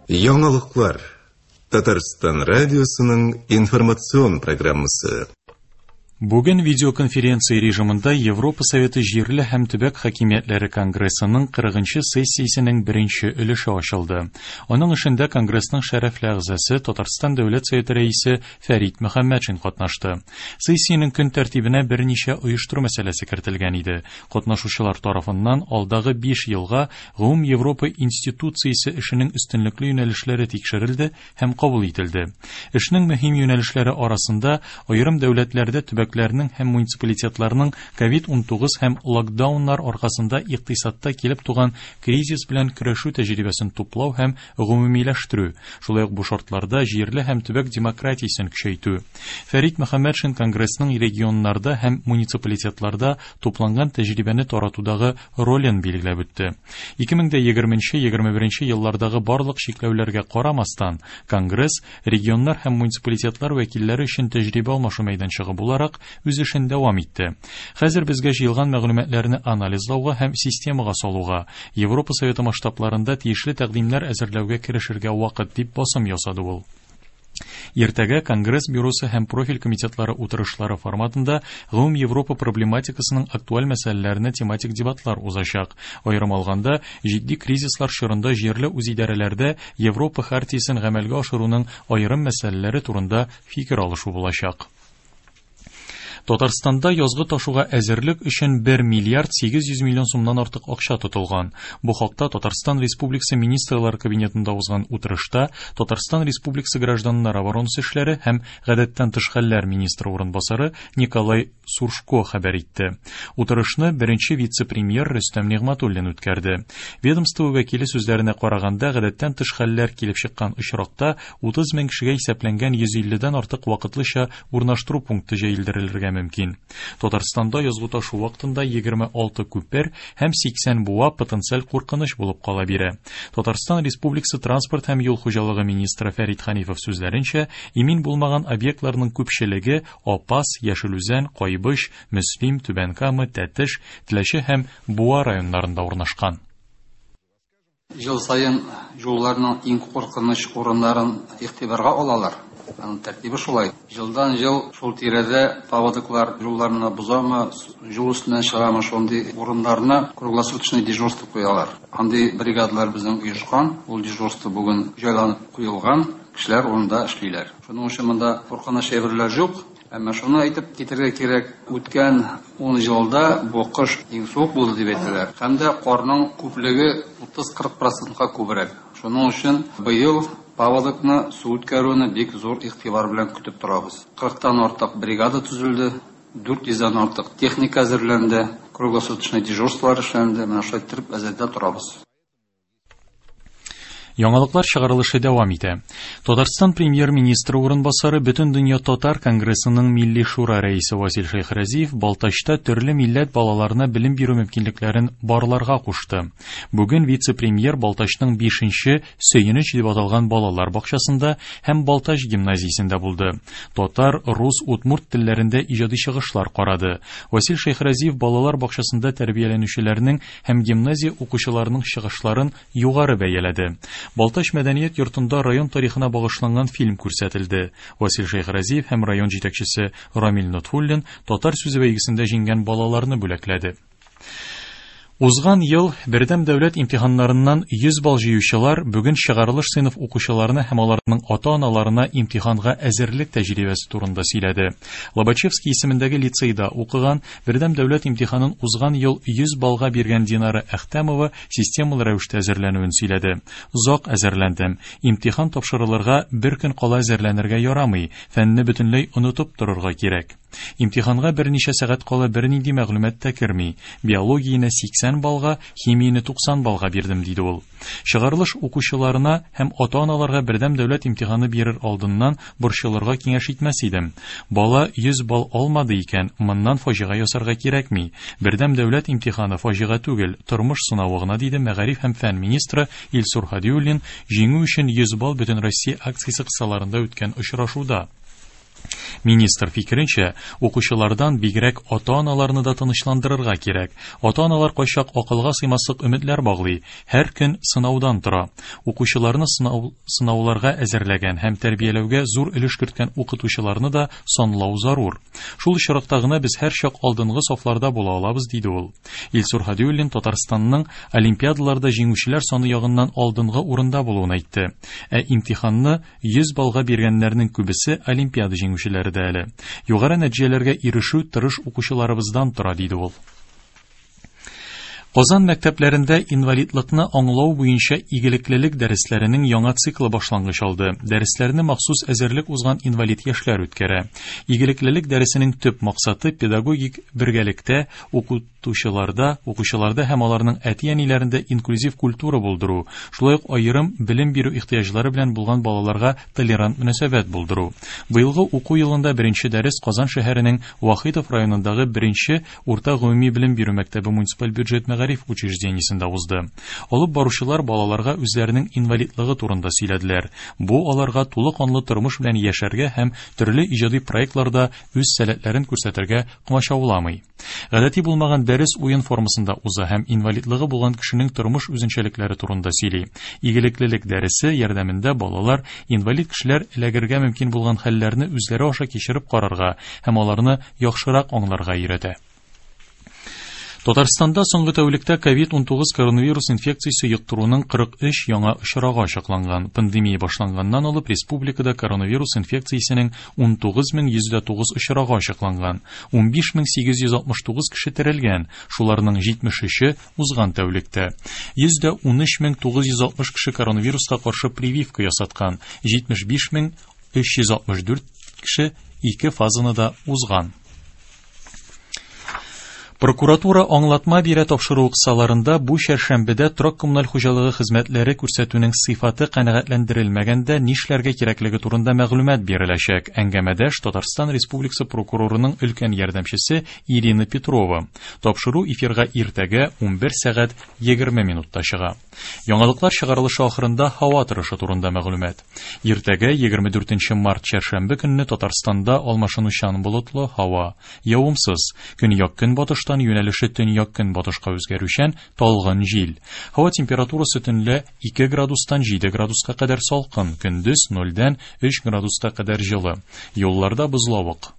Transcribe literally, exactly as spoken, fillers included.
Яңалыклар. Татарстан радиосының информацион программасы. Бүген видеоконференция режимында Европа Советы җирле һәм төбәк хакимиятләре конгрессының кырыгынчы сессиясенең беренче өлеше ачылды. Аның эшендә конгрессның шәрәфле әгъзасы Татарстан Дәүләт Советы рәисе Фәрит Мөхәммәтшин катнашты. Сессиянең көн тәртибенә берничә оештыру мәсьәләсе кертелгән иде. Катнашучылар тарафыннан алдагы биш елга Гомум Европа институциясе эшенең өстенлекле юнәлешләре тикшерелде һәм кабул ителде. Эшнең мөһим юнәлешләре арасында аерым дәүләтләрдә төбәк һәм муниципалитетларның ковид унтугыз һәм локдауннар аркасында икътисадта килеп туган кризис белән көрәшү тәҗрибәсен туплау һәм гомумиләштерү, шулай ук бу шартларда җирле һәм төбәк демократиясен көчәйтү. Фәрит Мөхәммәтшин конгрессның регионнарда һәм муниципалитетларда тупланган тәҗрибәне таратудагы ролен билгеләп үтте. ике мең дә егерменче егерме беренче еллардагы барлык чикләүләргә карамастан, конгресс регионнар һәм муниципалитетлар вәкилләре өчен тәҗрибә алмашу мәйданчыгы буларак үз эшен дәвам итте. Хәзер безгә җыелган мәгълүматларны анализлауга һәм системага салуга, Европа Советы масштабларында тиешле тәкъдимнәр әзерләүгә керешергә вакыт дип басым ясады ул. Иртәгә Конгресс бюросы һәм профиль комитетлары утырышлары форматында Гомум Европа проблематикасының актуаль мәсьәләләренә тематик дебатлар узачак. Аерым алганда, җитди кризислар чорында җирле үзидарәләрдә Европа хартиясен гамәлгә ашыруның аерым мәсьәләләре турында фикер алышу булачак. Татарстанда язгы ташуга әзерлек өчен бер миллиард сигез йөз миллион сумнан артык акча тотылган. Бу хакта Татарстан Республикасы Министрлар Кабинетында узган утырышта Татарстан Республикасы гражданнар оборонасы эшләре һәм гадәттән тыш хәлләр министры урынбасары Николай Суршко хәбәр итте. Утырышны беренче вице-премьер Рөстәм Нигъмәтуллин үткәрде. Ведомство вәкиле сүзләренә караганда, гадәттән тыш хәлләр килеп чыккан очракта утыз мең кешегә исәпләнгән йөз илледән артык вакытлыча урнаштыру пункты җәелдерелергә мөмкин. Татарстанда язгы ташу вакытында егерме алты күпер һәм сиксән буа потенциаль куркыныч булып кала бирә. Татарстан Республикасы транспорт һәм юл хуҗалыгы министры Фәрит Ханифов сүзләренчә, имин булмаган объектларның күпчелеге Апас, Яшел Үзән, Кайбыч, Мөслим, Түбән Кама, Тәтеш, Теләче һәм Буа районнарында урнашкан. Ел саен юлларның иң куркыныч урыннарын игътибарга алалар. Аның тәртибе шулай. Елдан ел шул тирәдә паводоклар юлларны бозамы, юл өстеннән чыгамы, шундый урыннарны круглосуточный дежурство куялар. Андый бригадалар безнең оешкан, ул дежурство бүген җайланып куелган, кешеләр урында эшлиләр. Шуның өчен монда куркыныч әйберләр юк. Әмма шуны әйтеп китәргә кирәк, үткән ун елда бу кыш иң суык булды дип әйтәләр. Һәм дә карның күплеге утыз-кырык процентка күбрәк. Шуның өчен быел паводокны, су үткәрүне бик зур игътибар белән көтеп торабыз. Кырыктан артык бригада төзелде, дүрт йөздән артык техника әзерләнде, круглосуточный дежурстволар эшләнде. Менә шулай итеп әзердә торабыз. Яңалыклар чыгарылышы дәвам итә. Татарстан премьер-министры урынбасары Бөтендөнья Татар конгрессының Милли Шура рәисе Васил Шәйхразиев Балтачта төрле милләт балаларына белем бирү мөмкинлекләрен барларга кушты. Бүген вице-премьер Балтачның бишенче Сөенеч дип аталган балалар бакчасында һәм Балтач гимназиясендә булды. Татар, рус, удмурт телләрендә иҗади чыгышлар карады. Васил Шәйхразиев балалар бакчасында тәрбияләнүчеләрнең һәм гимназия укучыларының чыгышларын югары бәяләде. Балтач мәдәният йортында район тарихына багышланган фильм күрсәтелде. Васил Шәйхразиев һәм район җитәкчесе Рамил Нотфуллин татар сүзе бәйгесендә җиңгән балаларны бүләкләде. Узган ел бердәм дәүләт имтиханнарыннан йөз балл җыючылар бүген чыгарылыш сыйныф укучыларына һәм аларның ата-аналарына имтиханга әзерлек тәҗрибәсе турында сөйләде. Лобачевский исемендәге лицейда укыган бердәм дәүләт имтиханын узган ел йөз баллга биргән Динара Әхтәмова системалы рәвештә әзерләнүен сөйләде. Озак әзерләндем. Имтихан тапшырылырга бер көн кала әзерләнергә ярамый. Фәнне бөтенләй онытып торырга кирәк. Имтиханга берничә сәгать кала бернинди мәгълүмат та керми. Биологияне сиксән баллга, химияне туксан баллга бирдем, диде ул. Чыгарылыш укучыларына һәм ата-аналарга бердәм дәүләт имтиханы бирер алдыннан борчылырга киңәш итмәс идем. Бала йөз балл алмады икән, моннан фаҗига ясарга кирәкми. Бердәм дәүләт имтиханы фаҗига түгел, тормыш сынавы гына, диде мәгариф һәм фән министры Илсур Һадиуллин җиңү өчен йөз балл Бөтенроссия акциясе кысаларында үткән очрашуда. Министр фикеренчә, укучылардан бигрәк ата-аналарны да тынычландырырга кирәк. Ата-аналар кайчак акылга сыймаслык өметләр баглый, һәр көн сынаудан тора. Укучыларны сынау, сынауларга әзерләгән һәм тәрбияләүгә зур өлеш керткән укытучыларны да санлау зарур. Шул очракта гына без һәрчак алдынгы сафларда була алабыз, диде ул. Илсур Һадиуллин Татарстанның олимпиадаларда җиңүчеләр саны ягыннан алдынгы урында булуын әйтте. Ә имтиханны йөз баллга биргәннәрнең күбесе олимпиада җиңүчеләре дә әле. Югары нәтиҗәләргә ирешү тырыш укучыларыбыздан тора, диде ул. Казан мәктәпләрендә инвалидлыкны аңлау буенча игелеклелек дәресләренең яңа циклы башлангыч алды. Дәресләрне махсус әзерлек узган инвалид яшьләр үткәрә. Игелеклелек дәресенең төп максаты педагогик бергәлектә укытучыларда, укучыларда һәм аларның әти-әниләрендә инклюзив культура булдыру, шулай ук аерым белем бирү ихтыяҗлары белән булган балаларга толерант мөнәсәбәт булдыру. Быелгы уку елында беренче дәрес Казан шәһәренең Вахитов районындагы беренче урта гомуми белем бирү мәктәбе муниципаль бюджет мәгариф учреждениесендә узды. Алып баручылар балаларга үзләренең инвалидлыгы турында сөйләделәр. Бу аларга тулы канлы тормыш белән яшәргә һәм төрле иҗади проектларда үз сәләтләрен күрсәтергә комачауламый. Гадәти булмаган дәрес уен формасында уза һәм инвалидлыгы булган кешенең тормыш үзенчәлекләре турында сөйли. Игелеклелек дәресе ярдәмендә балалар инвалид кешеләр эләгергә мөмкин булган хәлләрне үзләре аша кичереп карарга һәм аларны яхшырак аңларга өйрәтә. Татарстанда соңгы тәүлектә ковид унтугыз коронавирус инфекциясе йоктыруның кырык өч яңа очрагы ачыкланган. Пандемия башланганнан алып республикада коронавирус инфекциясенең унтугыз мең йөз дә тугыз очрагы ачыкланган. Унбиш мең сигез йөз алтмыш тугыз кеше терелгән, шуларның җитмеш өче узган тәүлектә. Йөз дә унөч мең тугыз йөз алтмыш кеше коронавируска каршы прививка ясаткан, җитмеш биш мең өч йөз алтмыш дүрт кеше ике фазаны да узган. Прокуратура аңлатма бирә тапшыру кысаларында бу чәршәмбедә торак коммуналь хуҗалыгы хезмәтләре күрсәтүнең сыйфаты канәгатьләндерелмәгәндә нишләргә кирәклеге турында мәгълүмат биреләчәк. Әңгәмәдәш Татарстан Республикасы прокурорының өлкән ярдәмчесе Ирина Петрова. Тапшыру эфирга иртәгә унбер сәгать егерме минутта чыга. Яңалыклар чыгарылышы ахырында һава торышы турында мәгълүмат. Иртәгә егерме дүртенче март чәршәмбе көнне Татарстанда алмашынучан болытлы һава, явымсыз, көньяк көнбатыш юнәлеше төньяк көнбатышка үзгәрүчән талгын җил. Һава температурасы төнлә ике градустан җиде градуска кадәр салкын, көндез нольдән өч градуска кадәр җылы. Юлларда бозлавык.